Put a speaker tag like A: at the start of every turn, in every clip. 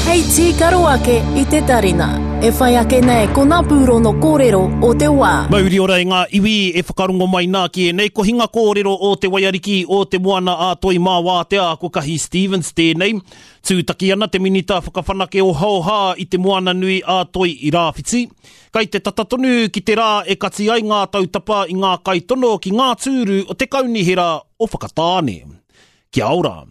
A: Hei tīkaro ake i te tarina. E whai ake nei ko ngā pūrono kōrero o te wā.
B: Mauri ora e ngā iwi e whakarongo mai nā ki ēnei kohinga kōrero o Te Waiariki o Te Moana a Toi Mā Wātea ko Kahi Stevens tēnei. Tūtaki ana te Minita Whakawhanake Ohaoha i Te Moana Nui a Toi i Rāwhiti. Kai te tata tonu ki te rā e kati ai ngā tautapa i ngā kaitono ki ngā tūru o te Kaunihera o Whakatāne. Kia ora.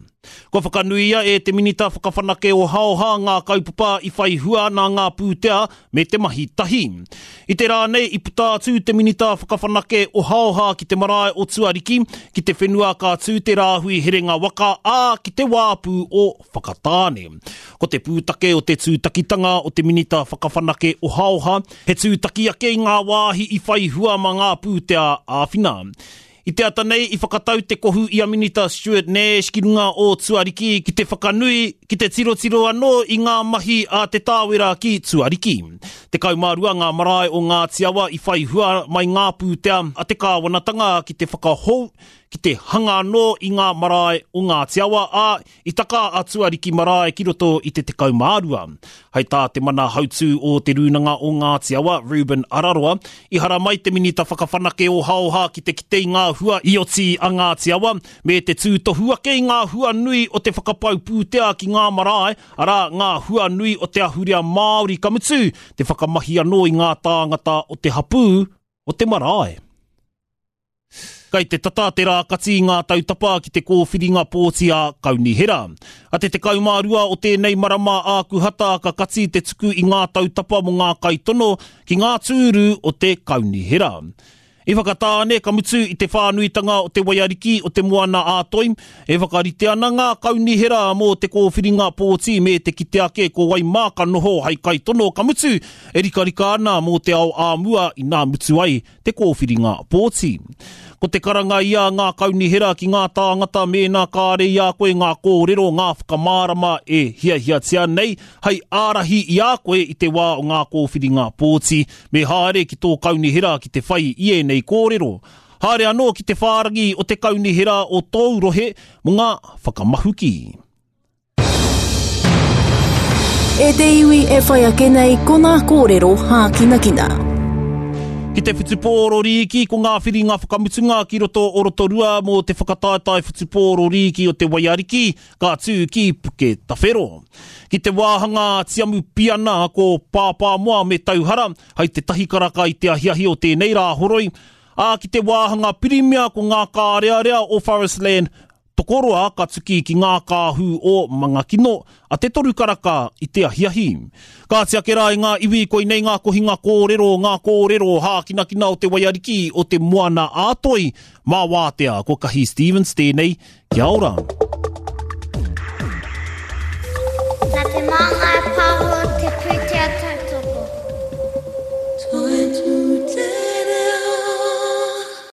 B: Kua whakanuia e te Minita Whakawhanake Ohaoha ngā kaupapa i whai hua nā ngā pūtea me te mahi tahi. I te rā nei i puta atu te Minita Whakawhanake Ohaoha ki te marae o Tuariki, ki te whenua ka tū te rāhui herenga waka, ā, ki te wāpu o Whakatāne. Ko te pūtake o te tūtakitanga o te Minita Whakawhanake Ohaoha, he tūtaki ake i ngā wāhi i whai hua mā ngā pūtea āwhina. I te ata nei i whakatau te kohu i a Minita Stuart Nash ki runga o Tuariki ki te whakanui, ki te tirotiro anō i ngā mahi a Te Tāwera ki Tuariki. 12 ngā marae o Ngāti Awa i whai hua mai ngā pūtea a te kāwanatanga ki te whakahou, ki te hanga anō i ngā marae o Ngāti Awa, ā, I taka a Tuariki Marae ki roto i te 12. Hai tā te mana hautū o Te Rūnanga o Ngāti Awa, Reuben Araroa, i haramai te Minita Whakawhanake Ohaoha ki te kite i ngā hua i oti a Ngāti Awa, me te tūtohu ake i ngā hua nui o te whakapau pūtea ki ngā marae, arā, ngā hua nui o te ahurea Māori, ka mutu, te whakamahi anō i ngā tāngata o te hapū o te marae. Kai te tata te rā kati i ngā tautapa ki te kōwhiringa pōti a Kaunihera. A te 12 o tēnei marama Ākuhata ka kati te tuku i ngā tautapa mō ngā kaitono ki ngā tūru o te Kaunihera. I Whakatāne, ka mutu i te whānuitanga o te waiariki o te Moana ā-Toi, e whakarite ana ngā kaunihera mō te kōwhiringa pōti me te kite ake ko wai mā ka noho hei kaitono, ka mutu e rikarika ana mō te ao ā mua inā mutu ai te kōwhiringa pōti. Ko te karanga ia a ngā kaunihera ki ngā tāngata mēnā kāre i a koe ngā kōrero, ngā whakamārama e hiahiatia nei hei ārahi i a koe i te wā o ngā kōwhiringa pōti, me haere ki tō kaunihera ki te whai i ēnei kōrero. Haere anō ki te whārangi o te kaunihera o tōu rohe mō ngā whakamahuki.
A: E te iwi e whai ake nei ko ngā kōrero hākinakina.
B: Ki te whutupōro rīki, ko ngā whiringa whakamutunga ki roto o Rotorua mō te whakataetae whutupōro rīki o te Waiariki, ka tū ki Puketawhero. Ki te wāhanga tiamu piana ko Pāpāmoa me Tauhara, hai te tahi karaka i te ahiahi o tēnei Rāhoroi, ā, ki te wāhanga pirimia ko ngā kārearea o Forestland Tokoroa ka tuki ki ngā kāhu o Mangakino a te toru karaka i te ahiahi. Kāti ake rā i ngā iwi koinei ngā kohinga kōrero, ngā kōrero hākinakina o te waiariki o te Moana ā Toi, mā Wātea, ko Kahi Stevens tēnei, kia ora.
C: Nā te māngai.